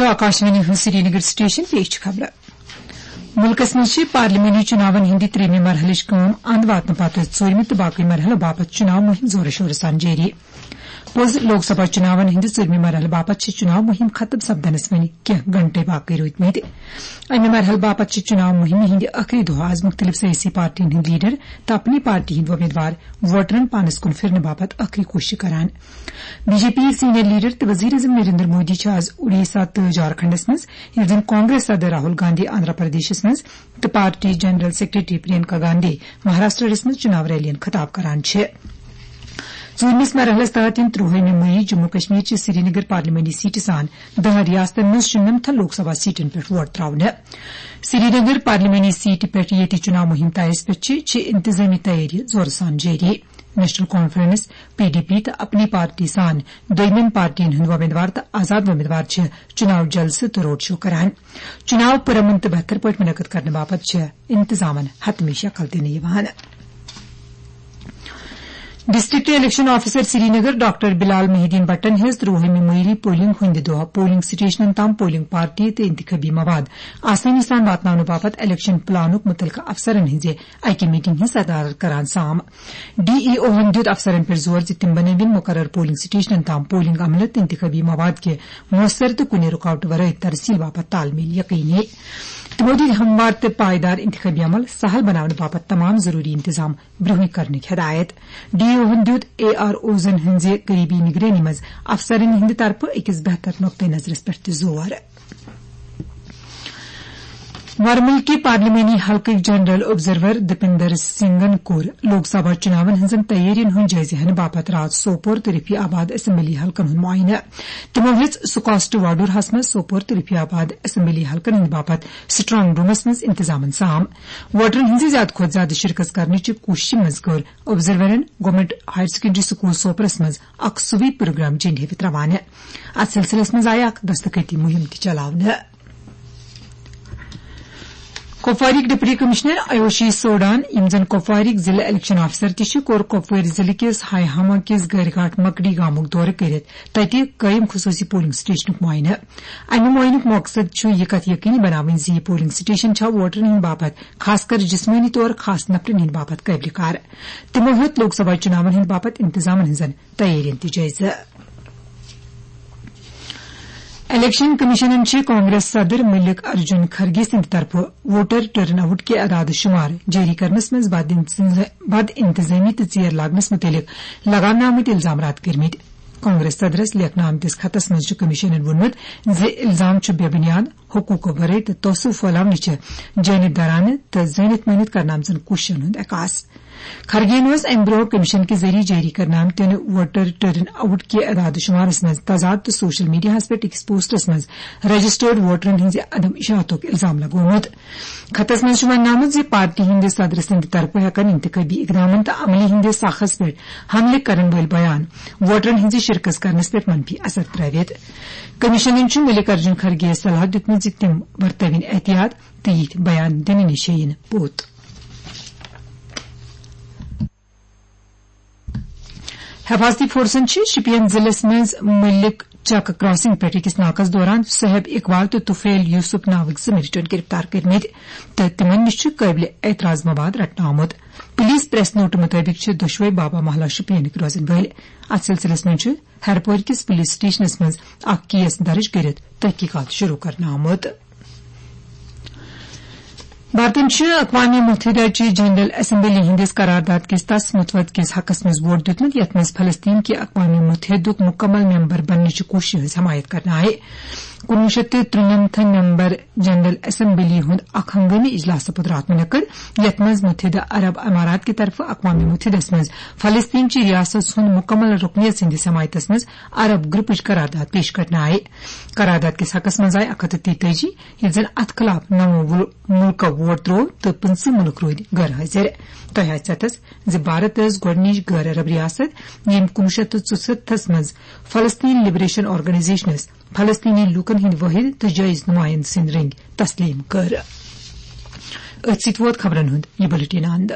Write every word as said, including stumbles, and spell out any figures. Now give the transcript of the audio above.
آکاشوانی ہُنٛد سرینگر سٹیشن، پیش چھِ خبرٕ۔ مُلکس منٛز چھِ پارلیمانی چُناون ہٕنٛدِ ترٛیٚیمہِ مرحلٕچ کٲم اند واتنہٕ پتہٕ ژوٗرمہِ تہٕ باقٕے مرحلہٕ باپتھ چُناو مُہِم زورٕ شورٕ سان جٲری۔ پوٚز، لوک سبھا چُناون ہٕنٛدِ ژوٗرمہِ مرحلہٕ باپتھ چھِ چُناو مُہِم ختم سپدنس وۄنۍ کینٛہہ گھنٹے باقٕے روٗدمٕتۍ۔ امہِ مرحلہٕ باپتھ چھِ چُناو مُہِمہِ ہٕنٛدِ ٲخری دۄہ از مُختٔلِف سیٲسی پارٹین ہٕنٛدۍ لیڈر تہٕ اپنی پارٹی ہٕنٛدۍ وۄمیدوار ووٹرن پانس کُن پھِرنہٕ باپتھ ٲخری کوٗششہٕ کران۔ B J P senior leader تہٕ وزیر اعظم نریندر مودی چھِ از اُڈیسہ تہٕ جھارکھنڈس منٛز، ییٚلہِ زن کانگریس صدر راہل گاندھی آندھرا پردیشس منٛز تہٕ party general secretary Priyanka Gandhi مہاراشٹرس منٛز چُناو ریلین خطاب کران چھِ۔ ژوٗرمِس مرحلس تحت یِن ترٛوہٲیمہِ مئی جموں کشمیر چہِ سرینگر پارلیمانی سیٹہِ سان دَہَن ریاستن منٛز شُنمتھن لوک سبھا سیٹن پٮ۪ٹھ ووٹ تراونہٕ۔ سرینگر پارلیمانی سیٹہِ پٮ۪ٹھ ییٚتہِ چُناو مُہِم تایس پٮ۪ٹھ چھِ، چھِ انتظٲمی تیٲری زورٕ سان جٲری۔ National conference, P D P تہٕ اپنی پارٹی سان دوٚیمٮ۪ن پارٹین ہٕنٛدۍ وۄمیدوار تہٕ آزاد وۄمیدوار چھِ چُناو جلسہٕ تہٕ روڈ شو کران۔ چُناو پُرامن تہٕ بہتر پٲٹھۍ منعقد کرنہٕ باپتھ چھِ انتظامن حتمی شکل دِنہٕ یِوان۔ District election officer Srinagar doctor Bilal Mohi ud Din بٹن ہیٚژ ترٛوہٲیمہِ مئی پولنگ ہٕنٛدِ دۄہ پولنگ سٹیشنن تام پولنگ پارٹی تہٕ انتخابی مواد آسٲنی سان واتناونہٕ باپتھ الیکشن پلانُک مُتعلقہٕ افسرن ہٕنٛزِ اکہِ میٹنگ ہٕنٛز صدارت کران سام۔ ڈی ای اوہن دیُت افسرن پٮ۪ٹھ زور زِ تِم بنٲوِن مقرر پولنگ سٹیشنن تام پولنگ عملہٕ تہٕ انتخابی مواد کہِ مؤثر تہٕ کُنہِ رُکاوٹہٕ ورٲے ترسیل باپتھ تال میل یقینی۔ تِمو دِتۍ ہموار تہٕ پائیدار انتخابی عمل سہل بناونہٕ باپتھ تمام ضروری انتظام برونٛہٕے کرنٕکۍ ہدایت۔ ڈی ای اوہن دیُت اے آر اوزن ہٕنٛزِ قریبی نگرٲنی منٛز افسرن ہٕنٛدِ طرفہٕ أکِس بہتر نقطہٕ نظرس پٮ۪ٹھ تہِ زور۔ ورمُلکہِ پارلیمانی حلقٕکۍ جنرل آبزرور دپندر سنگھن کوٚر لوک سبھا چُناون ہٕنٛزن تیٲرین ہُنٛد جٲیزٕ ہینہٕ باپتھ راتھ سوپور تہٕ رفیع آباد اسمبلی حلقن ہُنٛد معائنہٕ۔ تِمو ہیٚژ سکاسٹ واڈوٗرہس منٛز سوپور تہٕ رفیع آباد اسمبلی حلقن ہٕنٛدِ باپتھ سٹرانگ رومس منٛز انتظامن سام۔ ووٹرن ہٕنٛزِ زیادٕ کھۄتہٕ زیادٕ شرکت کرنٕچہِ کوٗششہِ منٛز کٔر آبزرورن گورنمنٹ ہائر سیکنڈری سکول سوپرس منٛز اکھ سویپ پروگرام جنڈِ ہیٚوِتھ روانہٕ۔ اتھ سلسلس منٛز آیہِ اکھ دستخطی مُہِم تہِ چلاونہٕ۔ کپوارٕکۍ ڈپٹی کمشنر آیوشی سوڈان، یِم زن کپوارٕکۍ ضلع الیکشن آفیسر تہِ چھِ، کوٚر کپوٲرۍ ضلعہٕ کِس ہاے ہاما کِس گرگھاٹ مکڑی گامُک دورٕ کٔرِتھ تتہِ قٲیِم خصوٗصی پولنگ سٹیشنُک معائنہٕ۔ امہِ معائنُک مقصد چھُ یہِ کتھ یقینی بناوٕنۍ زِ یہِ پولنگ سٹیشن چھا ووٹرن ہٕنٛدِ باپتھ، خاص کر جسمٲنی طور خاص نفرن ہٕنٛدِ باپتھ قٲبلِ کار۔ تِمو ہیوٚت لوک سبھا چُناون ہٕنٛدِ باپتھ انتظامن ہٕنٛزن تیٲرین تہِ جٲیزٕ۔ الیکشن کمیشنن چھِ کانگریس صدر ملک ارجن کھرگے سٕنٛدِ طرفہٕ ووٹر ٹرن آؤٹ کہِ اعداد شمار جٲری کرنس منٛز بد انتظ-، بد انتظامی تہٕ ژیر لاگنس مُتعلق لگاونہٕ آمٕتۍ الزام رد کٔرمٕتۍ۔ کانگریس صدرس لیکھنہٕ آمتِس خطس منٛز چھُ کمیشنن ووٚنمُت زِ الزام چھُ بے بنیاد، حقوٗقو ورٲے تہٕ تعصب پھٲلاونٕچہِ جٲنِتھ دارانہٕ تہٕ زٲنِتھ مٲنِتھ کرنہٕ آمژن کوٗششن ہُنٛد عکاس۔ کھرگے اوس امہِ برونٛہہ کمیشن کہِ ذٔریعہٕ جٲری کرنہٕ آمتٮ۪ن ووٹر ٹرن آؤٹ کہِ اعداد و شمارس منٛز تضاد تہٕ سوشل میڈیاہس پٮ۪ٹھ أکِس پوسٹس منٛز رجسٹرڈ ووٹرن ہٕنٛزِ عدم اشاعتُک الزام لگومُت۔ خطس منٛز چھُ وننہٕ آمُت زِ پارٹی ہٕنٛدِ صدر سٕنٛدِ طرفہٕ ہٮ۪کن انتخابی اقدامن تہٕ عملہِ ہٕنٛدِس ساخس پٮ۪ٹھ حملہٕ کرن وٲلۍ بیان ووٹرن ہٕنٛزِ شرکت کرنس پٮ۪ٹھ منفی اثر ترٲوِتھ۔ کمیشنن چھُ ملک ارجن کھرگے یَس صلاح دیُتمُت زِ تِم ورتٲوِن احتیاط تہٕ یِتھۍ بیان دِنہٕ نِش ہیٚیِن پوٚت۔ حفاظتی فورسن چھِ شپین ضلعس منٛز ملک چک کراسنگ پٮ۪ٹھ أکِس ناکس دوران صہیب اقبال تہٕ طفیل یوسف ناوٕکۍ زٕ مِلٹنٹ گرفتار کٔرمٕتۍ تہٕ تِمن نِش چھُ قٲبلِ اعتراض مواد رٹنہٕ آمُت۔ پولیس پریس نوٹہٕ مُطٲبِق چھِ دۄشوے بابا محلہ شپینٕکۍ روزن وٲلۍ۔ اتھ سلسلس منٛز چھُ ہیرپور کِس پولیس سٹیشنس منٛز اکھ کیس درج کٔرِتھ تحقیقات شروع کرنہٕ آمُت۔ بھارتن چھُ اقوام متحدہ چہِ جنرل اسمبلی ہٕنٛدِس قرارداد کِس تس متوت کِس حقس منٛز ووٹ دیُتمُت، یتھ منٛز فلسطین کہِ اقوام متحدُک مکمل ممبر بننٕچہِ کوٗششہِ ہٕنٛز حمایت کرنہٕ آیہِ۔ کُنوُہ شیٚتھ تہٕ ترٛنمتھن ممبر جنرل اسمبلی ہُنٛد اکھ ہنگٲمی اجلاس سپُد راتھ منعقد، یتھ منٛز متحدہ عرب امارات کہِ طرفہٕ اقوام متحدس منٛز فلسطین چہِ ریاست ہُنٛد مکمل رکنیت سٕنٛدِس حمایتس منٛز عرب گروپٕچ قرارداد پیش کرنہٕ آیہِ۔ قرارداد کِس حقس منٛز آیہِ اکھ ہتھ تہٕ تیتٲجی، ییٚلہِ زن اتھ خلاف نَو مُل-، مُلکو ووٹ ترٛوو تہٕ پٕنٛژٕہ مُلک روٗدۍ غٲر حٲضِر۔ تۄہہِ آسہِ اتھس زِ بھارت ٲس گۄڈٕنِچ غٲر عرب ریاست، ییٚمۍ کُنوُہ شیٚتھ تہٕ ژُسَتتھس منٛز فلسطین لبریشن آرگنائزیشنس فلسطینی لوٗکن ہٕنٛدۍ وٲحد تہٕ جٲیز نُمٲیِنٛدٕ سٕنٛدۍ رٔنٛگۍ تسلیٖم کٔر۔ أتھۍ سۭتۍ ووت خبرن ہُنٛد یہِ بُلٹن اند۔